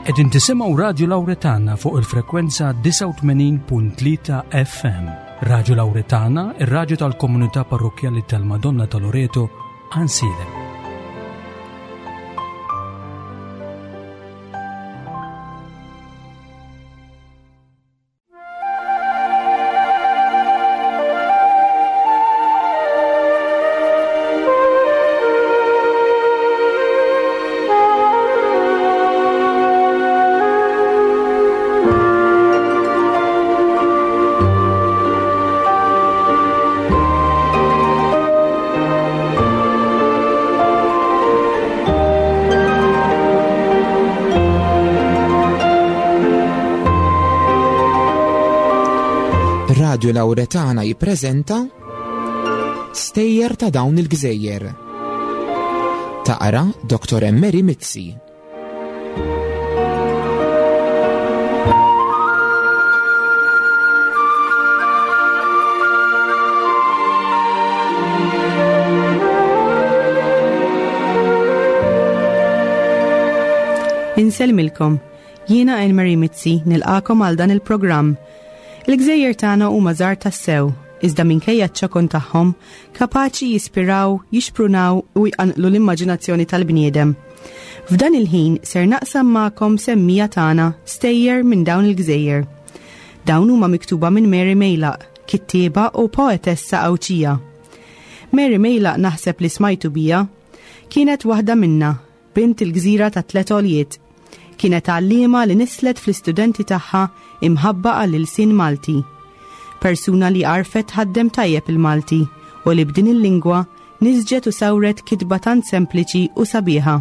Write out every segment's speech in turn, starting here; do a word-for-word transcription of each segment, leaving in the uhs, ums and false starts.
Qegħdin tisimgħu Radio Lauretana fuq il-frekwenza disgħa u tmenin punt tlieta F M. Radio Lauretana, ir-radju tal-komunità parrokjali tal-Madonna ta' Loreto, Għajnsielem. Radio Lauretana jippreżenta Stejjer ta' dawn il-gżejjer. Taqra Doktor Emmeri Mizzi. Insellmilkom, jiena Elmarie Mizzi nilqagħkom għal dan il-programm. Il-gżejjer tagħna huma żgħar tassew, iżda minkejja ċ-ċokon tagħhom kapaċi jispiraw, jixprunaw u jqanqlu l-immaġinazzjoni tal-bniedem. F'dan il-ħin ser naqsam magħkom semmija tagħna stejjer minn dawn il-gżejjer. Dawn huma miktuba minn Mary Mejlaq, kittieba u poetessa Għawdxija. Mary Mejlaq naħseb li smajtu bija, kienet waħda minna, bint il-gżira ta' tlet għoljiet. Kienet għallima li nislet fl-istudenti tagħha imħabba għall-ilsien Malti. Persuna li għarfet tħaddem tajjeb il-Malti u li b'din il-lingwa nisġet u sawret kitba tant sempliċi u sabiħa.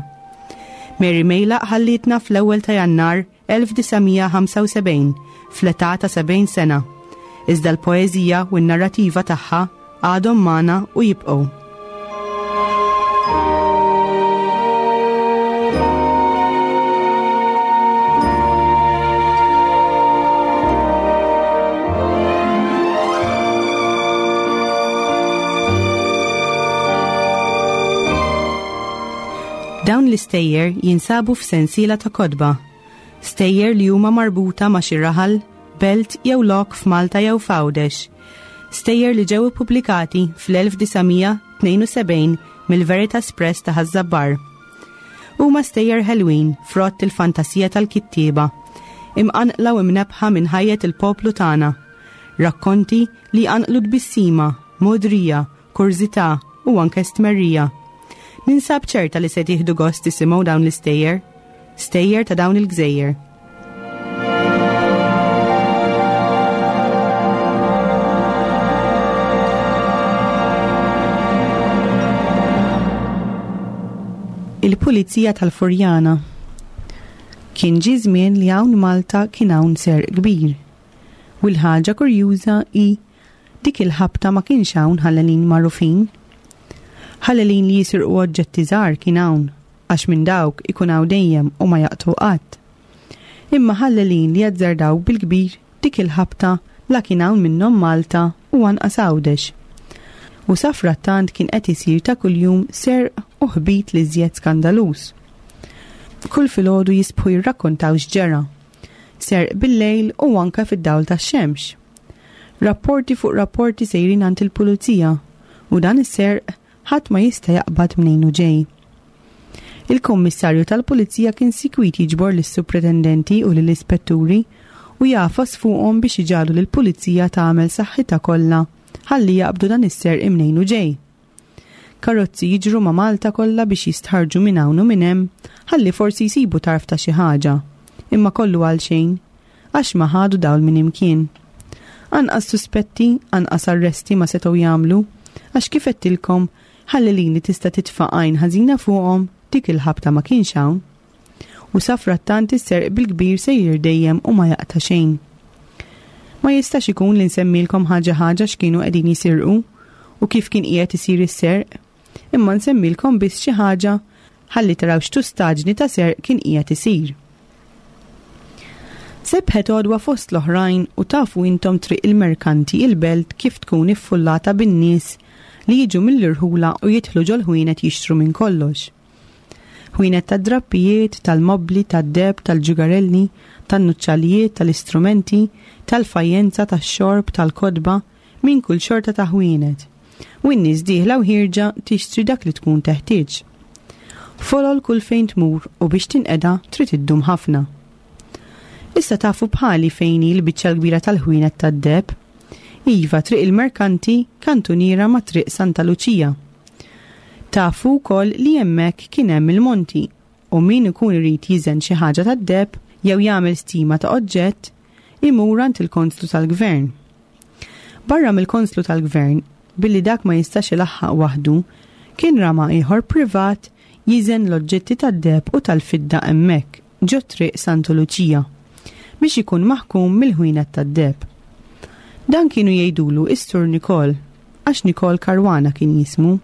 Mary Mejlaq ħallitna fl-ewwel ta' Jannar elf disa' mija ħamsa u sebgħin fl-età ta' sebgħin sena. Iżda l-poeżija u n-narrativa tagħha għadhom magħna u jibqgħu. Dawn l-istejjer jinsabu f'sensiela ta' kotba. Stejjer li huma marbuta ma' xi raħal, belt jew lok f'Malta jew f'Għawdex. Stejjer li ġew ippubblikati fl-elf disa' mija tnejn u sebgħin mill-Veritas Press ta' Ħaż-Żabbar. Huma stejjer ħelwin frott il-fantasija tal-kittieba, imqanqla u imnebbħa minn ħajjet il-poplu tagħna. Rakkonti li jqanqlu tbissima, modrija, kurżità u anke stmerrija. Ninsab ċerta li se tieħdu gost tisimgħu dawn l-istejjer, stejjer ta' dawn il-gżejjer. Il-Pulizija tal-Furjana. Kien ġie żmien li hawn Malta kien hawn serq kbir. U l-ħaġa kurjuża hi dik il-ħabta ma kienx hawn ħallelin magħrufin. Ħallelin li jisirqu oġġetti żgħar kien hawn, għax minn dawk ikun hawn dejjem u ma jaqtgħu qatt. Imma ħallelin li jazzardaw bil-kbir dik il-ħabta la kien hawn minnhom Malta u anqas Għawdex. U safrattant kien qed isir ta' kuljum serq u ħbit li żjed skandaluż. Kull filgħodu jisbħu jirrakkontaw x'ġara. Serq bil-lejl u anke fid-dawl tax-xemx. Rapporti fuq rapporti sejrin għand il-pulizija u dan is-serq ħadd ma jista' jaqbad mnejn u ġej. Il-kummissarju tal-pulizija kien sikwit jiġbor lis-supretendenti u lill-ispetturi u jagħfas fuqhom biex iġagħlu lill-pulizija tagħmel saħħitha kollha ħalli jaqbdu dan is-serq mnejn u ġej. Karozzi jiġru ma' Malta kollha biex jistħarġu minn hawn u minn hemm ħalli forsi jsibu tarf ta' xi ħaġa, imma kollu għal xejn, għax ma ħadu dawl minn imkien. Anqas suspetti, anqas arresti ma setgħu jagħmlu, għax kif għedtilkom ħallelin li tista' titfa' għajn ħażina fuqhom dik il-ħabta ma kienx hawn. U safrattant is-serq bil-kbir sejjer dejjem u ma jaqta' xejn. Ma jistax ikun li nsemmilkom ħaġa ħaġa x'kienu qegħdin jisirqu u kif kien qiegħed isir is-serq, imma nsemmilkom biss xi ħaġa ħalli taraw x'tustaġni ta' serq kien qiegħed isir. Sebħet għodwa fost l-oħrajn u tafu intom triq il-merkanti il-belt kif tkun iffullata bin-nies li jiġu mill-irħula u jidħlu ġol-ħwienet jixtru minn kollox. Ħwienet tad-drappijiet, tal-mobli, tad-deheb, tal-ġugarelli, tan-nuċċalijiet, tal-istrumenti, tal-fajjenza, tax-xorb, tal-kotba, minn kull xorta ta' ħwienet. U n-nies dieħla u ħierġa tixtri dak li tkun teħtieġ. Folol kull fejn tmur u biex tinqeda trid iddum ħafna. Issa tafu bħali fejn hi l-biċċa l-kbira tal-ħwienet tad-deheb. Iva, Triq il-Merkanti, kantuniera ma' Triq Santa Luċija. Tafu wkoll li hemmhekk kien hemm il-monti u min ikun irid jiżen xi ħaġa tad-deheb jew jagħmel stima ta' oġġett imur għand il-konslu tal-gvern. Barra mill-konslu tal-gvern, billi dak ma jistax ilaħħaq waħdu, kien rama ieħor privat jiżen l-oġġetti tad-deheb u tal-fidda hemmhekk ġo Triq Santa Luċija biex ikun maħkum mill-ħwienet tad-deheb. Dan kienu jgħidulu is-Sur Nikol, għax Nikol Caruana kien jismu.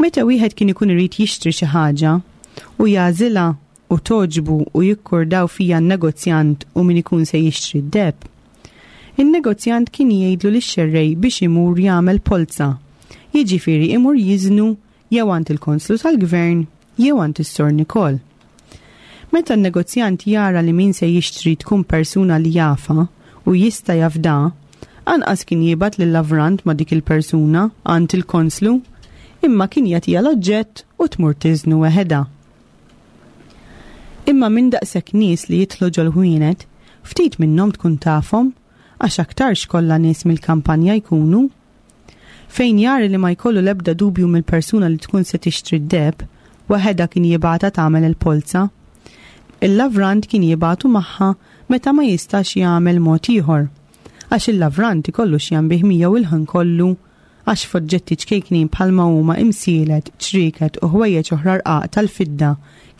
Meta wieħed kien ikun irid jixtri xi ħaġa u jagħżilha u togħġbu u jikkordaw fija n-negozjant u min ikun se jixtri d-deheb, in-negozjant kien jgħidlu lix-xerrej biex imur jagħmel polza, jiġifieri imur jiżnu jew għand il-konslu tal-gvern jew għand is-Sur Nikol. Meta n-negozjant jara li min se jixtri tkun persuna li jafa u jista' jafda, anqas kien jibgħat lil-lavrant ma' dik il-persuna għand il-konslu, imma kien jagħtiha l-oġġett u tmur tiżnu weħedha. Imma minn daqshekk nies li jidħlu ġol-ħwienet, ftit minnhom tkun tafhom, għax aktarx kollha nies mill-kampanja jkunu. Fejn jara li ma jkollu l-ebda dubju mill-persuna li tkun se tixtri d-deheb, waħedha kien jibgħatha tagħmel il-polza. Il-lavrant kien jibgħatu magħha meta ma jistax jagħmel mod ieħor, għax il-lavrant ikollu x'jambih miegħu il-ħin kollu, għax f'oġġetti ċkejknin bħalma huma imsielet, ċrieket u ħwejjeġ oħra rqaq tal-fidda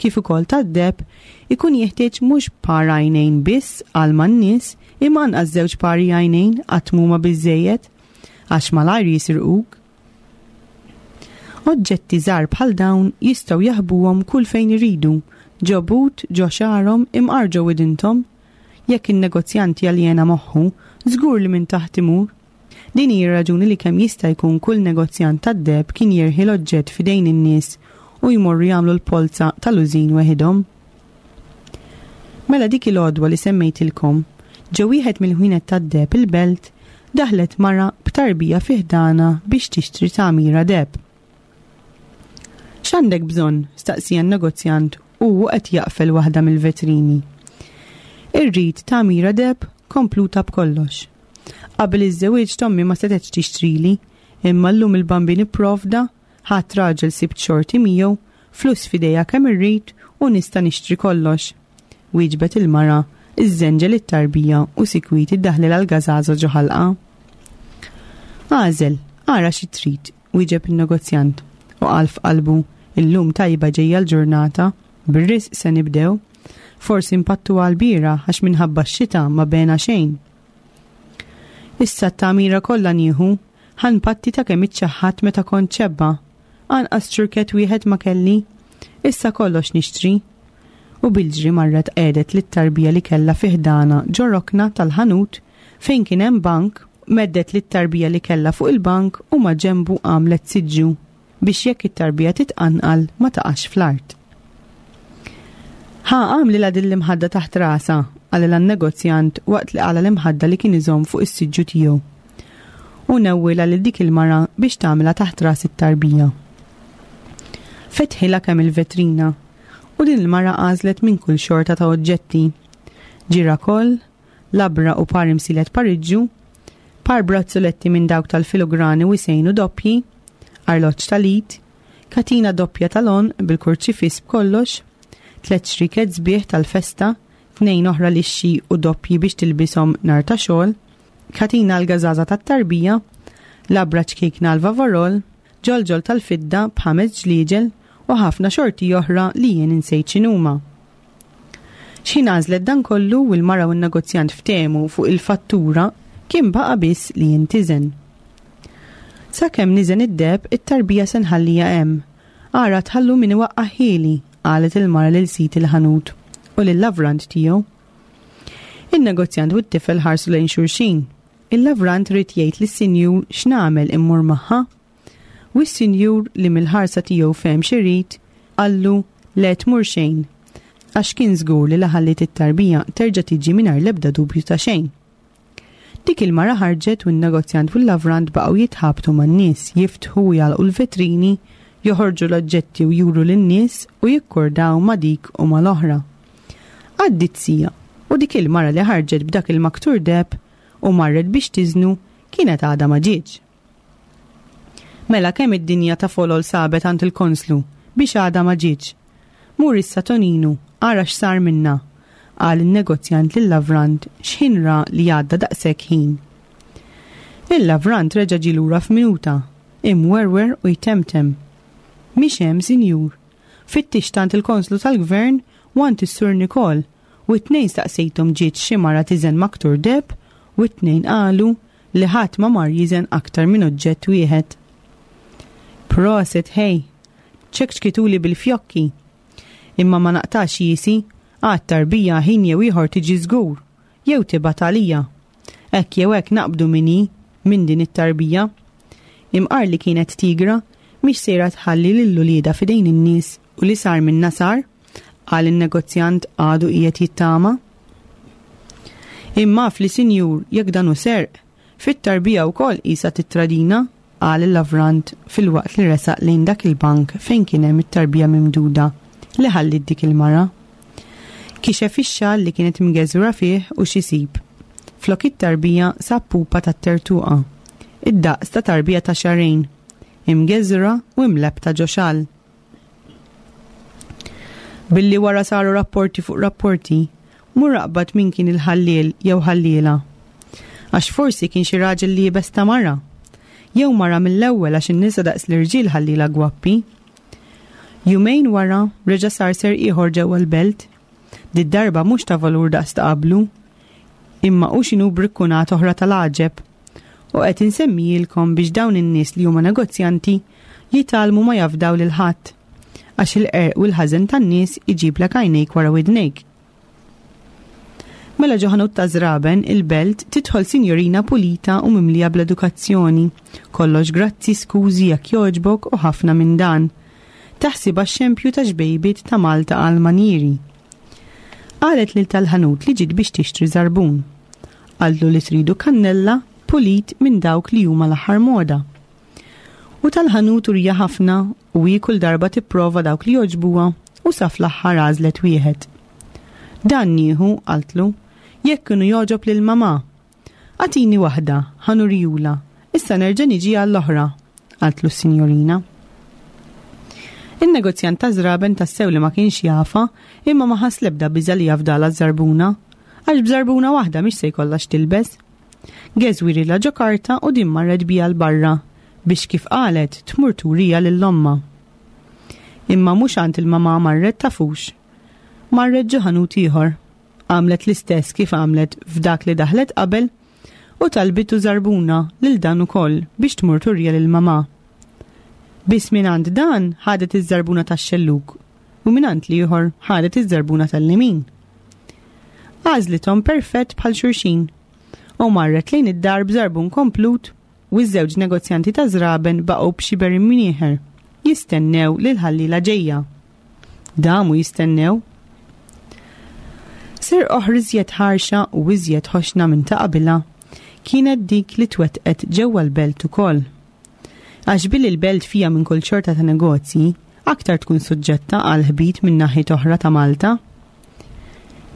kif ukoll tad-deheb ikun jeħtieġ mhux par għajnejn biss għal man-nies imma anqas żewġ pari għajnejn qatt m'huma biżejjed għax malajr jisirquk. Oġġetti żgħar bħal dawn jistgħu jaħbuhom kull fejn iridu, ġo but, ġo xagħarhom, imqar ġo widinthom. Jekk in-negozjant jaljena moħħu, żgur li minn taħt imur. Din hi raġuni li kemm jista' jkun kull negozjant tad-deheb kien jerħi l-oġġett f'idejn in-nies u jmorru jagħmlu l-polza tal-użin weħidhom. Mela dik il-għodwa li semmejtilkom, ġo wieħed mill-ħwienet tad-deheb il-Belt, daħlet mara b'tarbija fi ħdanha biex tixtri tagħmira deheb. X'għandek bżonn? Staqsija n-negozjant u hu qed jaqfel waħda mill-vetrini. Irrid tagħmira deheb kompluta b'kollox. Qabel iż-żewieġ tommi ma setgħetx tixtrili, imma llum il-Bambin ipprovda, ħadd raġel sibt xorti miegħu, flus f'idejja kemm irrid u nista' nixtri kollox. Wieġbet il-mara, iżżenġel it-tarbija u sikwit iddaħlilha l-gażaża ġo ħalqa. Għażel, ara xi trid, wieġeb in-negozjant u qal f'qalbu, illum tajba ġejja l-ġurnata, bir-risq se nibdew. Forsi impattu għal-bira għax minħabba x-xita ma bena xejn. Issa t-tagħmira kollha nieħu, ħanpatti ta' kemm iċċaħħat meta kont ċebba. Anqas ċurket wieħed ma kelli, issa kollox nixtri. U bil-ġri marret qiegħdet lit-tarbija li kellha fi ħdanha ġo rokna tal-ħanut fejn kien hemm bank, meddet lit-tarbija li kellha fuq il-bank u ma ġembu għamlet siġġu biex jekk it-tarbija titqanqal ma taqax fl-art. Ħa għamlilha din l-imħadda taħt rasha, qalilha n-negozjant waqt li qala l-imħadda li kien iżomm fuq is-siġġu tiegħu. U newwilha lil dik il-mara biex tagħmilha taħt ras it-tarbija. Fetħilha kemm il-vetrina u din il-mara għażlet minn kull xorta ta' oġġetti. Ġirakoll, labra u par imsielet pariġġu, par brazzuletti minn dawk tal-filograni u jsejnu doppji, arloġġ tal-id, katina doppja tal-għonq bil-kurċifiss b'kollox, tliet xriket sbieħ tal-festa, tnejn oħra lixxi u doppji biex tilbishom nar ta' xogħol, katina l-gażaża tat-tarbija, labra ċkejkna l-vavarol, ġolġol tal-fidda b'ħames ġliġel u ħafna xorti oħra li jien insejt x'inhuma. X'ħin għażlet dan kollu u l-mara u n-negozjant ftehmu fuq il-fattura kien baqa' biss li jintiżen. Sakemm niżen id-deheb, it-tarbija se nħallija hemm. Ara tħallu min iwaqqa' ħieli, qalet il-mara lil sid il-ħanut u lil-lavrant tiegħu. In-negozjant u t-tifel ħarsu lejn xulxin. Il-lavrant ried jgħid lis-sinjur x'nagħmel immur magħha. U s-sinjur li mill-ħarsa tiegħu fehem x'irid, Qallu le tmur xejn, għax kien żgur li la ħalliet it-tarbija terġa' tiġi mingħajr l-ebda dubju ta' xejn. Dik il-mara ħarġet u n-negozjant u l-lavrant baqgħu jitħabtu man-nies, jiftħu u jagħlqu l-vetrini, joħorġu l-oġġetti u juru lin-nies u jikkordaw ma' dik u mal-oħra. Għaddiet siegħa u dik il-mara li ħarġet b'dak il-maktur deheb u marret biex tiżnu kienet għadha ma ġietx. Mela kemm id-dinja ta' folol sabet għand il-konslu biex għadha ma ġietx. Mur issa Toninu, ara x'sar minna, qal in-negozjant lil-lavrant x'ħin ra li għadda daqshekk ħin. Il-lavrant reġa' ġie lura f'minuta, imwerwer u jtemtem. Mhix hemm, sinjur. Fittixt għand il-konslu tal-gvern u għand is-Sur Nikol u t-tnejn staqsejthom ġiet xi mara tiżen maktur deheb u t-tnejn qalu li ħadd ma mar jiżen aktar minn oġġett wieħed. Prosit ħej, ċekċkituli bil-fjokki. Imma ma naqtax jiesi, għad tarbija ħin jew ieħor tiġi żgur, jew tibgħat għalija. Hekk jew hekk naqbdu min hi minn din it-tarbija. Imqar li kienet tigra, mhix sejra tħalli lil uliedha f'idejn in-nies u li sar minna sar, qal in-negozjant għadu qiegħed jittama. Imma fli sinjur jekk dan hu serq, fit-tarbija wkoll qisha titradina, qal il-lavrant filwaqt li resaq lejn dak il-bank fejn kien hemm it-tarbija mimduda li ħallit dik il-mara. Kixef ix-xal li kienet mgeżwra fih u x'isib. Flok it-tarbija sab pupa tat-tertuqa, id-daqs ta' tarbija ta' xahrejn, imgeżwra u imlebbta ġo xal. Billi wara saru rapporti fuq rapporti, mur aqbad min kien il-ħalliel jew ħalliela. Għax forsi kien xi raġel li jibes ta' mara. Jew mara mill-ewwel għax in-nisa daqs l-irġiel ħalliela gwappi. Jumejn wara reġa' sar serq ieħor ġewwa l-belt. Did-darba mhux ta' valur daqs ta' qablu, imma hu x'inhu brikkunat oħra tal-għaġeb. U qed insemmijilkom biex dawn in-nies li huma negozjanti jitgħallmu ma jafdaw lil ħadd, għax il-qerq u l-ħażen tan-nies iġiblek għajnejk wara widnejk. Mela ġo ħanut ta' żraben il-belt tidħol sinjorina pulita u mimlija bl-edukazzjoni. Kollox grazzi, skużi jekk jogħġbok u ħafna minn dan. Taħsibha xempju ta' xbejbiet ta' Malta għal manjieri. Qalet lil tal-ħanut li ġiet biex tixtri żarbun. Qaltlu li tridu kannella pulit minn dawk li huma l-aħħar moda. U tal-ħanut urija ħafna u hi kull darba tipprova dawk li jogħġbuha u sa fl-aħħar għażlet wieħed. Dan nieħu, qaltlu, jekk kienu jogħġob lil mamà. Agħtini waħda, ħa nurijula, issa nerġa' niġi għall-oħra, qaltlu s-sinjorina. In-negozjant ta' żraben tassew li ma kienx jafa, imma ma ħass l-ebda biża' li jafdala żarbuna, għax b'żarbuna waħda mhix se jkollha x'tilbes. Geżwirilha ġo karta u din marret biha 'l barra biex kif qalet tmur turija lil ommha. Imma mhux għand il-mamà marret tafux. Marret ġo ħanut ieħor. Għamlet l-istess kif għamlet f'dak li daħlet qabel u talbitu żarbuna lil dan ukoll biex tmur turija lil mamà. Biss minn għand dan ħadet iż-żarbuna tax-xellug u minn għand l-ieħor ħadet iż-żarbuna tal-lemin. Għażlithom perfett bħal xulxin u marret lejn id-dar b'żarbun komplut u ż-żewġ negozjanti ta' żraben baqgħu b'xiber imnieħer jistennew lil ħalliela ġejja. Damu jistennew. Serq oħra iżjed ħarxa u iżjed ħoxna minn ta' qabilha kienet dik li twettqet ġewwa l-belt ukoll. Għax billi l-belt fija minn kull xorta ta' negozji, aktar tkun suġġetta għal ħbit minn naħiet oħra ta' Malta.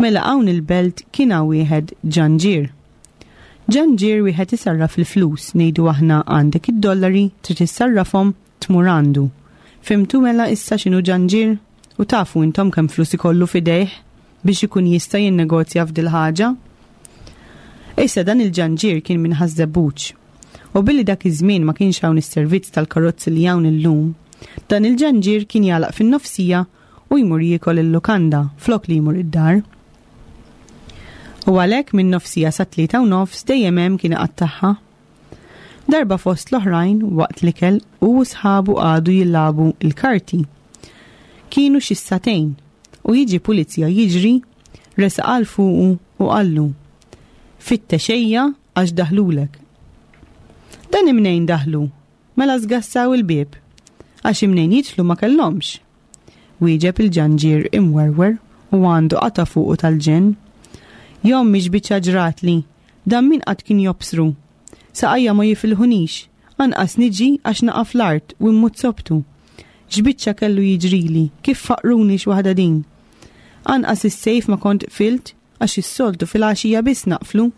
Mela hawn il-belt kien hawn wieħed ġanġir. Ġanġir wieħed isarraf il-flus, ngħidu aħna għandek id-dollari, trid issarrafhom tmur għandu. Fhimtu mela issa x'inhu ġanġir? U tafu intom kemm flus ikollu f'idejh biex ikun jista' jinnegozja f'dil ħaġa? Issa dan il-ġanġir kien minn Ħaż-Żebbuġ. U billi dak iż-żmien ma kienx hawn is-servizz tal-karozzi li hawn illum, dan il-ġanġir kien jagħlaq fin-nofsija u jmur jiekol il-lukanda flok li jmur id-dar. U għalhekk minn nofsija sa tlieta u nofs dejjem hemm kien iqattagħha. Darba fost l-oħrajn waqt l-ikel u sħabu qagħdu jilagħbu il-karti. Kienu xi sagħtejn u jiġi pulizija jiġri, resaq għal fuqu u qallu: Fittex ejja għax daħlulek. Dan imnejn daħlu, mela żgassaw il-bieb, għax imnejn jidħlu ma kellhomx. Wieġeb il-ġanġier imwerwer u għandu qata fuqu tal-ġenn. Jom mhix biċċa ġratli, dan min qatt kien jobsru. Saqajja ma jifilħunix, anqas niġi għax naqa' fl-art u mmut sobtu. X'biċċa kellu jiġrili, kif faqruni x'waħda din. Anqas is-sejf ma kont qfilt għax is-soltu fil-għaxija biss naqflu.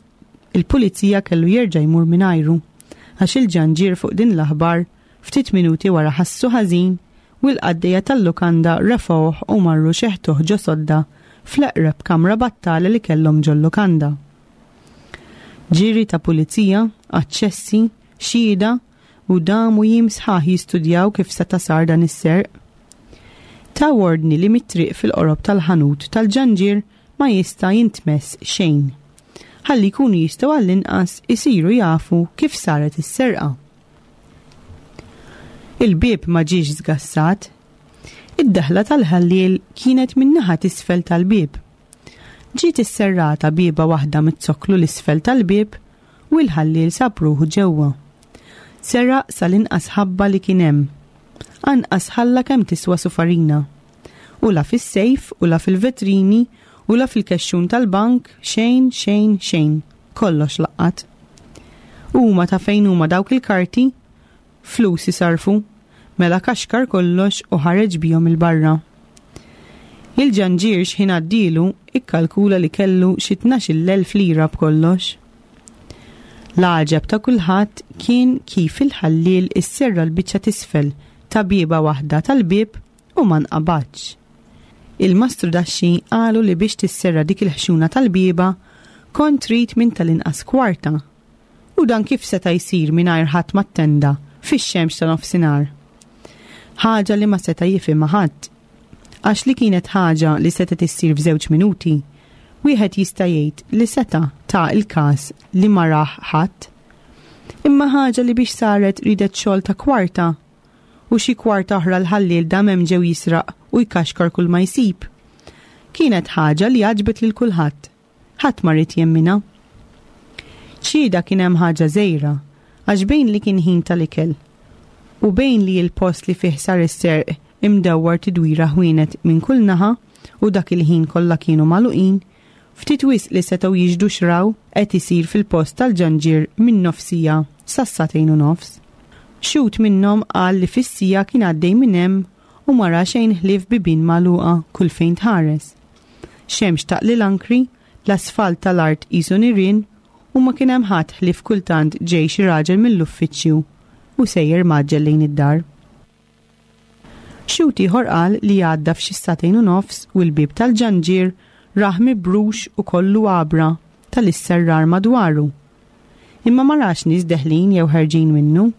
Il-pulizija kellu jerġa' jmur mingħajru għax il-ġanġier fuq din l-aħbar ftit minuti wara ħassu ħażin u l-qaddejja tal-lukanda refgħuh u marru xeħtuh ġo sodda fl-eqreb kamra battala li kellhom ġol-lukanda. Ġiri ta' pulizija, aċċessi, xhieda u damu jiem sħaħ jistudjaw kif seta' sar dan is-serq. Ta' ordni li mit-triq fil-qorob tal-ħanut tal-ġanġier ma jista' jintmess xejn. Ħalli jkunu jistgħu għall-inqas isiru jafu kif saret is-serqa. Il-bieb ma ġiex żgassat. Id-daħla tal-ħalliel kienet min-naħa t'isfel tal-bieb. Ġiet isserrata bieba waħda mit-zokklu l-isfel tal-bieb u l-ħalliel sab ruħu ġewwa. Seraq sal-inqas ħabba li kien hemm. Anqas ħalla kemm tiswa sufarina. U la fis-sejf, u la fil-vetrini, u la fil-kexxun tal-bank, xejn, xejn, xejn. Kollox laqqat. Huma ta' fejn huma dawk il-karti? Flus isarfu. Mela kaxkar kollox u ħareġ bihom il-barra. Il-ġanġier x'ħin għaddielu ikkalkula li kellu xi tnax-il elf lira b'kollox. L-għaġeb ta' kulħadd kien kif il-ħalliel isserra l-biċċa t'isfel ta' bieba waħda tal-bieb u ma nqabadx. Il-mastru daxxi qalu li biex tisserra dik il-ħxuna tal-bieba kont trid minn tal-inqas kwarta. U dan kif seta' jsir mingħajr ħadd mat-tenda fix-xemx ta' nofsinhar. Ħaġa li ma seta' jifhimha ħadd. Għax li kienet ħaġa li setgħet issir f'żewġ minuti, wieħed jista' jgħid li seta' ta' il-każ li ma rah ħadd. Imma ħaġa li biex saret ridet xogħol ta' kwarta u xi kwarta oħra l-ħalliel dam hemm ġew jisraq u jkaxkar kull ma jsib. Kienet ħaġa li għaġbet lil kulħadd. Ħadd ma ried jemminha. Xhieda kien hemm ħaġa żgħira, għax bejn li kien ħin tal-ikel u bejn li l-post li fih sar is-serq imdewwar tidwira ħwienet minn kull naħa u dak il-ħin kollha kienu magħluqin, ftit wisq li setgħu jiġdu xraw qed isir fil-post tal-ġanġier minn nofsija sas-sagħtejn u nofs. Xhud minnhom qal li fis-sija kien għaddej minn hemm u ma ra xejn ħlief bibien magħluqa kull fejn tħares. Xemx taqli l-ankri, l-asfalt tal-art qisu nirien u ma kien hemm ħadd ħlief kultant ġej xi raġel mill-uffiċċju u sejjer mgħaġġel lejn id-dar. Xhud ieħor qal li għadda f'xi sagħtejn u nofs u l-bieb tal-ġanġier rah mibrux u kollu għabra tal-isserrar madwaru. Imma ma rax nies deħlin jew ħerġin minnu.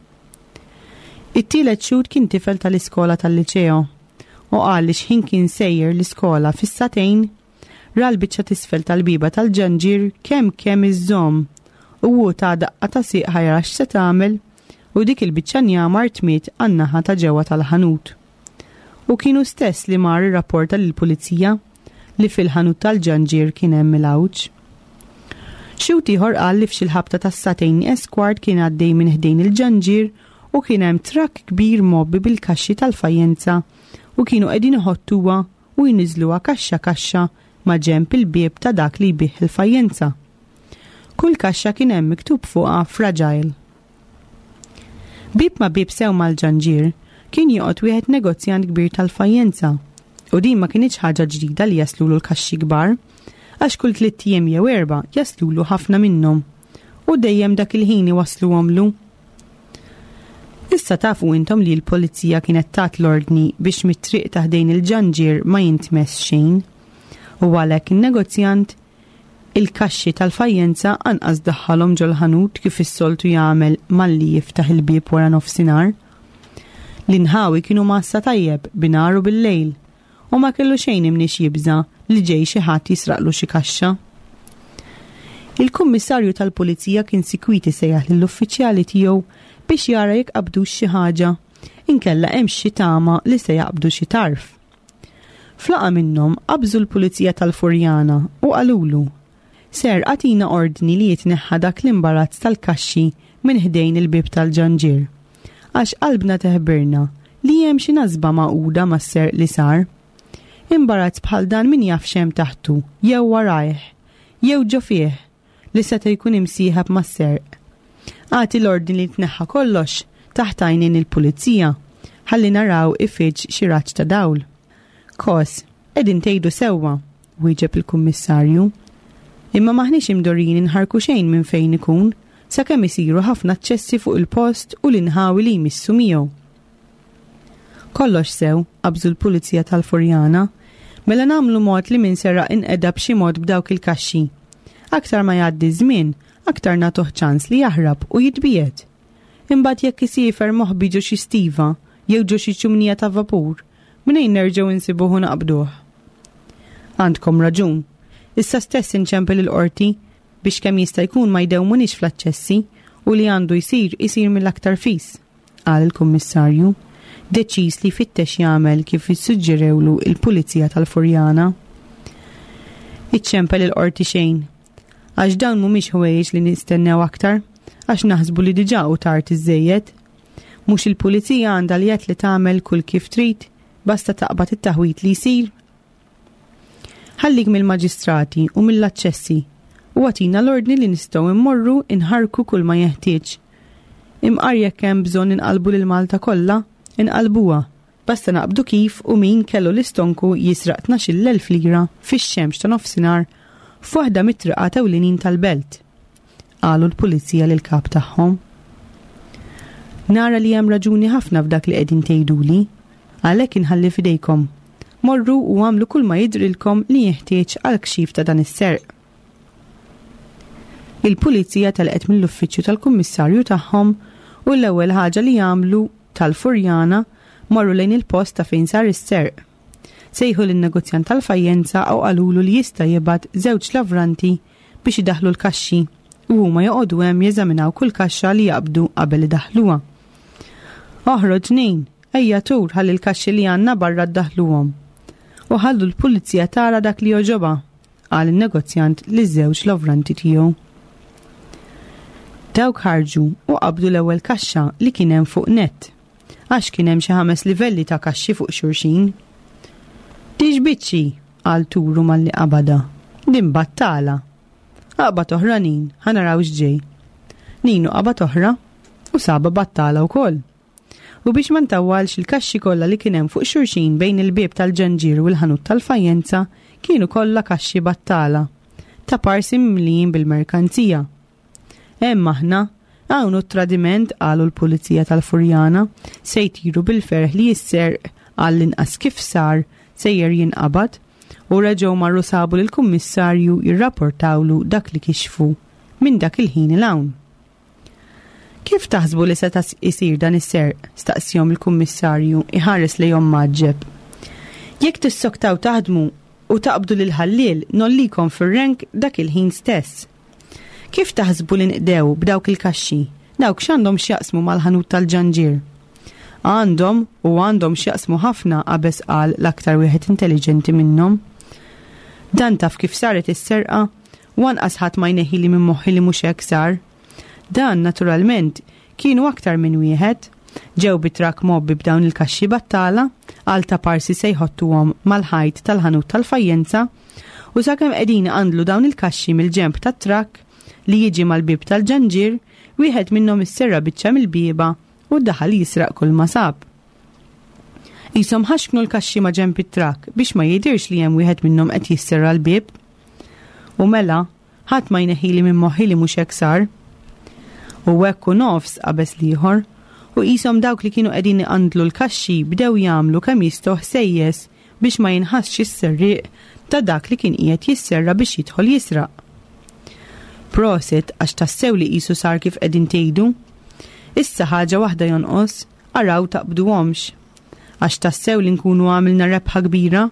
It-tielet xhud kien tifel tal-iskola tal-liċeo u qal li xħin kien sejjer l-iskola fis-sagħtejn ra l-biċċa t'isfel tal-bieba tal-ġanġier kemm kemm iżżomm u hu ta' daqqa ta' sieq ħajra x'se tagħmel u dik il-biċċa njamar tmiet għan-naħa ta' ġewwa tal-ħanut. U kienu stess li mar irrapporta lill-pulizija li fil-ħanut tal-ġanġier kien hemm il-għawġ. Xhud ieħor qal li f'xi ħabta tas-sagħtejn eskwart kien għaddej minn ħdejn il-ġanġier u kien hemm trakk kbir mgħobbi bil-kaxxi tal-fajjenza u kienu qegħdin iħottuha u jniżluha kaxxa kaxxa ma' ġenb il-bieb ta' dak li jbigħ il-fajjenza. Kull kaxxa kien hemm miktub fuqha fragile. Bieb ma' bieb sew mal-ġanġier kien joqgħod wieħed negozjant kbir tal-fajjenza u din ma kinitx ħaġa ġdida li jaslulu l-kaxxi kbar, għax kull tliet ijiem jew erba' jaslulu ħafna minnhom u dejjem dak il-ħin iwasluhomlu. Issa tafu intom li l-pulizija kienet tat l-ordni biex mit-triq ta' ħdejn il-ġanġier ma jintmess xejn u għalhekk in-negozjant il-kaxxi tal-fajjenza anqas daħħalhom ġol-ħanut kif is-soltu jagħmel malli jiftaħ il-bieb wara nofsinhar. L-inħawi kienu massa tajjeb binhar u bil-lejl u ma kellu xejn imniex jibża li ġej xi ħadd jisraqlu xi kaxxa. Il-kummissarju tal-pulizija kien sikwiti sejjaħ lill-uffiċjali tiegħu biex jara jekk qabdux xi ħaġa, inkella hemm xi tama li se jaqbdu xi tarf. Flaqa minnhom qabżu l-pulizija tal-Furjana u qalulu: Ser għatina ordni li jitneħħa dak l-imbarazz tal-kaxxi minn ħdejn il-bieb tal-ġanġier. Għax qalbna teħbirna li hemm xi nasba magħquda mas-serq li sar. Imbarazz bħal dan min jaf x'hemm taħtu, jew warajh, jew ġo fih, li seta' jkun imsieħeb mas-serq. Agħti l-ordni li tneħħa kollox taħt għajnejn il-pulizija, ħalli naraw ifiġġ xi raġġ ta' dawl. Kos, qegħdin tgħidu sewwa, wieġeb il-kummissarju. Imma m'aħniex imdorrijin inħarku xejn minn fejn ikun, sakemm isiru ħafna aċċessi fuq il-post u l-inħawi li jmissu miegħu. Kollox sew, qabżu l-pulizija tal-Furjana, mela nagħmlu mod li min seraq inqeda b'xi mod b'dawk il-kaxxi. Aktar ma jgħaddi żmien, aktar nagħtuh ċans li jaħrab u jitbiegħed. Imbagħad jekk isiefer moħbi ġo xi stiva jew ġo xi ċumnija ta' vapur, mnejn nerġgħu insibuh u naqbduh. Għandkom raġun. Issa stess inċempel il-qorti biex kemm jista' jkun ma jdewmunix fl-aċċessi u li għandu jsir isir mill-aktar fis, qal il-kummissarju, deċiż li jfittex jagħmel kif issuġġerewlu il-pulizija tal-Furjana. Iċċempel il-qorti xejn, għax dawn mhumiex ħwejjeġ li nistennew aktar, għax naħsbu li diġà hu tard iżżejjed. Mhux il-pulizija għandha l-jedd li tagħmel kull kif trid, basta taqbad it-taħwit li jsir. Ħallik mill-maġistrati u mill-aċċessi u agħtina l-ordni li nistgħu immorru inħarku kull ma jeħtieġ. Imqar jekk hemm bżonn inqalbu lil Malta kollha, inqalbuha. Basta naqbdu kif u min kellu l-istonku jisraq tnax-il elf lira fix-xemx ta' nofsinhar f'waħda mit-triqat ewlenin tal-belt, qalu l-pulizija lil kap tagħhom. Nara li hemm raġuni ħafna f'dak li qegħdin tgħiduli, għalhekk inħalli f'idejkom. Morru u għamlu kull ma jidrilkom li jeħtieġ għal kxif ta' dan is-serq. Il-pulizija telqet mill-uffiċċju tal-kummissarju tagħhom u l-ewwel ħaġa li jagħmlu tal-Furjana marru lejn il-post ta' fejn sar is-serq. Sejħu lin-negozjant tal-fajjenza u qalulu li jista' jibgħat żewġ lavranti biex idaħlu l-kaxxi u huma joqogħdu hemm jeżaminaw kull kaxxa li jaqbdu qabel idaħluha. Oħroġ Nin, ejja tur ħalli l-kaxxi li għandna barra ddaħluhom. U ħallu l-pulizija tara dak li jogħġobha, qal in-negozjant liż-żewġ lavranti tiegħu. Dawk ħarġu u qabdu l-ewwel kaxxa li kien hemm fuq nett, għax kien hemm xi ħames livelli ta' kaxxi fuq xulxin. Dix biċċi, qal Turu malli qabada. Din battala. Aqbad oħra Nin, ħa naraw x'ġej. Ninu qabad oħra u saba battala wkoll. U biex ma ntawwalx il-kaxxi kollha li kien hemm fuq xulxin bejn il-bieb tal-ġanġir u l-ħanut tal-fajjenza kienu kollha kaxxi battala, ta' parsi mimlijin bil-merkanzija. Hemm aħna, hawn hu t-tradiment, qalu l-pulizija tal-Furjana, se jtiru bil-ferħ li jisserq għall-inqas kif sar sejjer jinqabad, u reġgħu marru sabu lill-kummissarju jirrapportawlu dak li kixfu minn dak il-ħin 'il hawn. Kif taħsbu li seta' isir dan is-serq? Staqsihom il-kummissarju iħares lejhom mgħaġġeb. Jekk tissoktaw taħdmu u taqbdu lil ħalliel nollikom fir-renk dak il-ħin stess. Kif taħsbu li nqdew b'dawk il-kaxxi? Dawk x'għandhom x'jaqsmu mal-ħanut tal-ġanġir? Għandhom u għandhom x'jaqsmu ħafna, qabeż qal l-aktar wieħed intelligenti minnhom. Dan taf kif saret is-serqa u anqas ħadd ma jneħħili minn moħħi li mhux hekk sar. Dan naturalment kienu aktar minn wieħed. Ġew bi trakk mgħobbi b'dawn il-kaxxi battala għal ta' parsi se jħottuhom mal-ħajt tal-ħanut tal-fajjenza u sakemm qegħdin għandlu dawn il-kaxxi mill-ġenb tat-trakk li jiġi mal-bieb tal-ġanġir, wieħed minnhom isserra biċċa mill-bieba u daħal jisraq kull ma sab. Qishom ħaxknu l-kaxxi ma' ġenb it-trakk biex ma jidirx li hemm wieħed minnhom qed jisserra l-bieb. U mela, ħadd ma jneħħili minn moħħi li mhux hekk sar. U hekk u nofs qabeż l-ieħor, u qishom dawk li kienu qegħdin iqandlu l-kaxxi bdew jagħmlu kemm jistgħu ħsejjes biex ma jinħassx is-serrieq ta' dak li kien qiegħed jisserra biex jidħol jisraq. Prosit għax tassew li qisu sar kif qegħdin tgħidu. Issa ħaġa waħda jonqos, araw taqbduhomx. Għax tassew li nkunu għamilna rebħa kbira,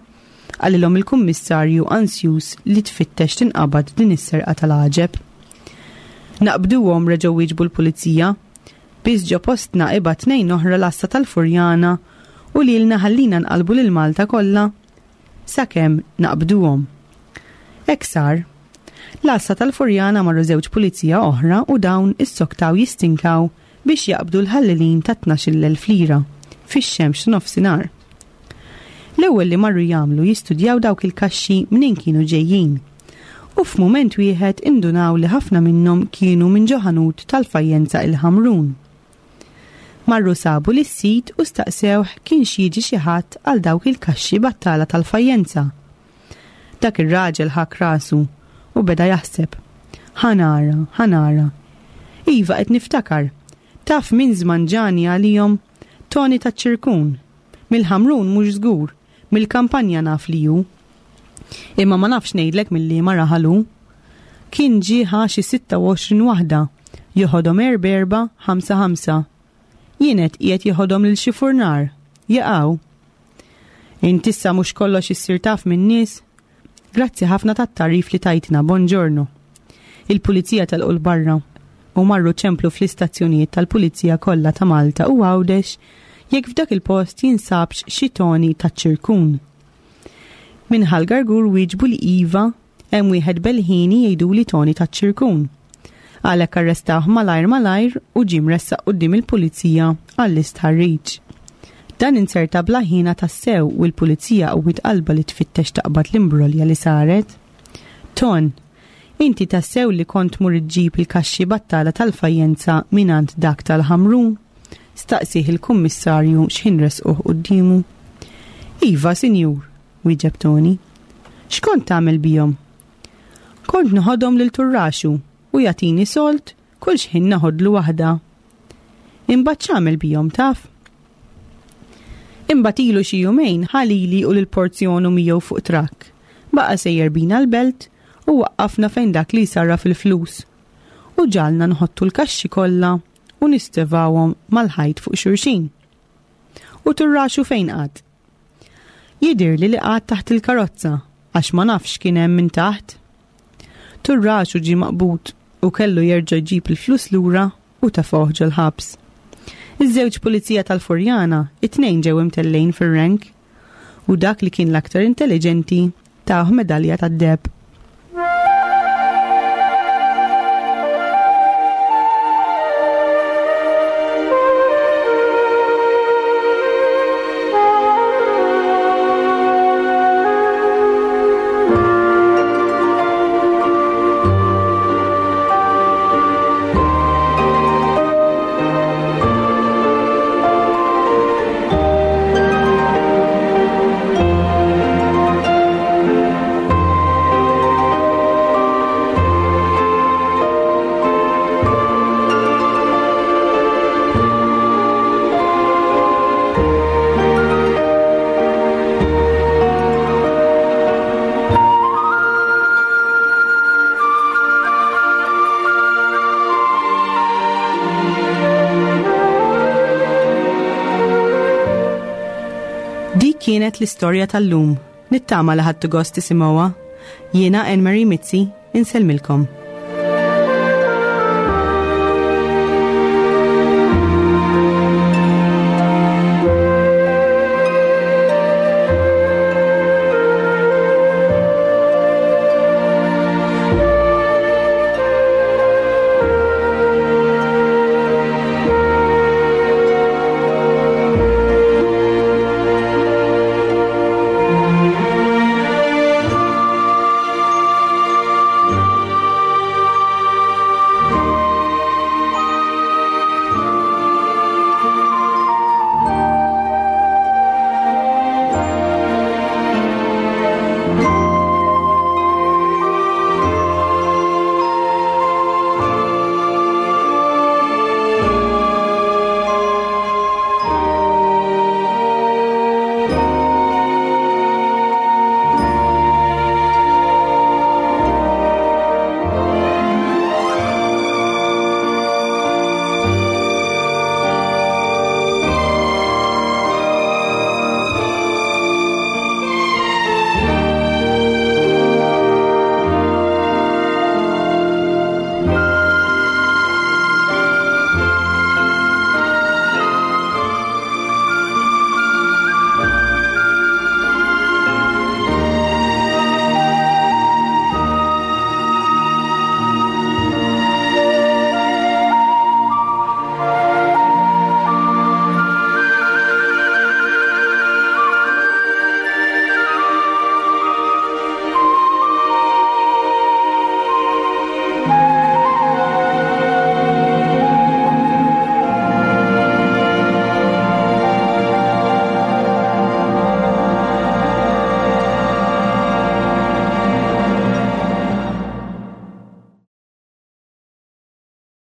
qalilhom il-kummissarju ansjus li tfittex tinqabad din is-serqa tal-għaġeb. Naqbduhom, reġgħu wieġbu l-pulizija. Biss ġo postna ibgħat tnejn oħra l-għassa tal-Furjana u lilna ħallina nqalbu lil Malta kollha sakemm naqbduhom. Hekk sar. L-għassa tal-Furjana marru żewġ pulizija oħra u dawn issoktaw jistinkaw biex jaqbdu l-ħallelin ta' tnax-il elf lira fix-xemx ta' nofsinhar. L-ewwel L-ewwel li marru jagħmlu jistudjaw dawk il-kaxxi minn kienu ġejjin. U f'mument wieħed indunaw li ħafna minnhom kienu minn ġo ħanut tal-fajjenza il-Ħamrun. Marru sabu lis-sid u staqsewh kienx jiġi xi ħadd għal dawk il-kaxxi battala tal-fajjenza. Dak ir-raġel ħak rasu u beda jaħseb. Ħa nara, ħa nara. Iva qed niftakar. Taf min żmanġani għalihom Toni taċ-Ċirkun. Mill-Ħamrun mhux żgur, mill-kampanja naf li hu. Imma ma nafx ngħidlek mil-liema raħal hu. Kien ġie ħa xi sitta u għoxrin waħda, joħodhom erba' erba', ħamsa ħamsa. Jien għedt qiegħed jeħodhom lil xi furnar, jaqaw. Int issa mhux kollox issir taf min-nies? Grazzi ħafna tat-tagħrif li tajtna, bonġorno. Il-pulizija telqu 'l barra u marru ċemplu fl-istazzjonijiet tal-pulizija kollha ta' Malta u Għawdex jekk f'dak il-post jinsabx xi Toni taċ-Ċirkun. Minn Ħal Gargur wieġbu li iva, hemm wieħed belħini jgħiduli Toni taċ-Ċirkun. Għalhekk arrestawh malajr malajr u ġie mressaq quddiem il-pulizija għall-istħarriġ. Dan inzerta bla ħina tassew u l-pulizija qawwiet qalbha li tfittex taqbad l-imbrolja li saret. Ton, inti tassew li kont tmur iġġib il-kaxxi battala tal-fajjenza mingħand dak tal-Ħamrun? Staqsih il-kummissarju x'ħin resquh quddiemu. Iva, sinjur, wieġeb Toni. X'kont tagħmel bihom? Kont noħodhom lil Turraxu u jagħtini sold kull x'ħin naħodlu waħda. Imbagħad x'għamel bihom taf? Imbagħad ilu xi jumejn ħa lili u lil porzjonu miegħu fuq trakk. Baqa' sejjer bina l-belt u waqqafna fejn dak li jsarraf il-flus. U ġalna nħottu l-kaxxi kollha u nistevawhom mal-ħajt fuq xulxin. U Turraxu fejn qagħad? Jidhirli li qagħad taħt il-karozza għax ma nafx kien hemm minn taħt. Turraxu ġie maqbud u kellu jerġa' jġib il-flus lura u tefgħuh ġol-ħabs. Iż-żewġ pulizija tal-Furjana, it-tnejn ġew imtellgħin fir-rank u dak li kien l-aktar intelligenti tawh medalja tad-deheb. Dik kienet l-istorja tal-lum. Nittama li ħadtu gost tisimgħuha. Jiena Anne Marie Mizzi, insellmilkom.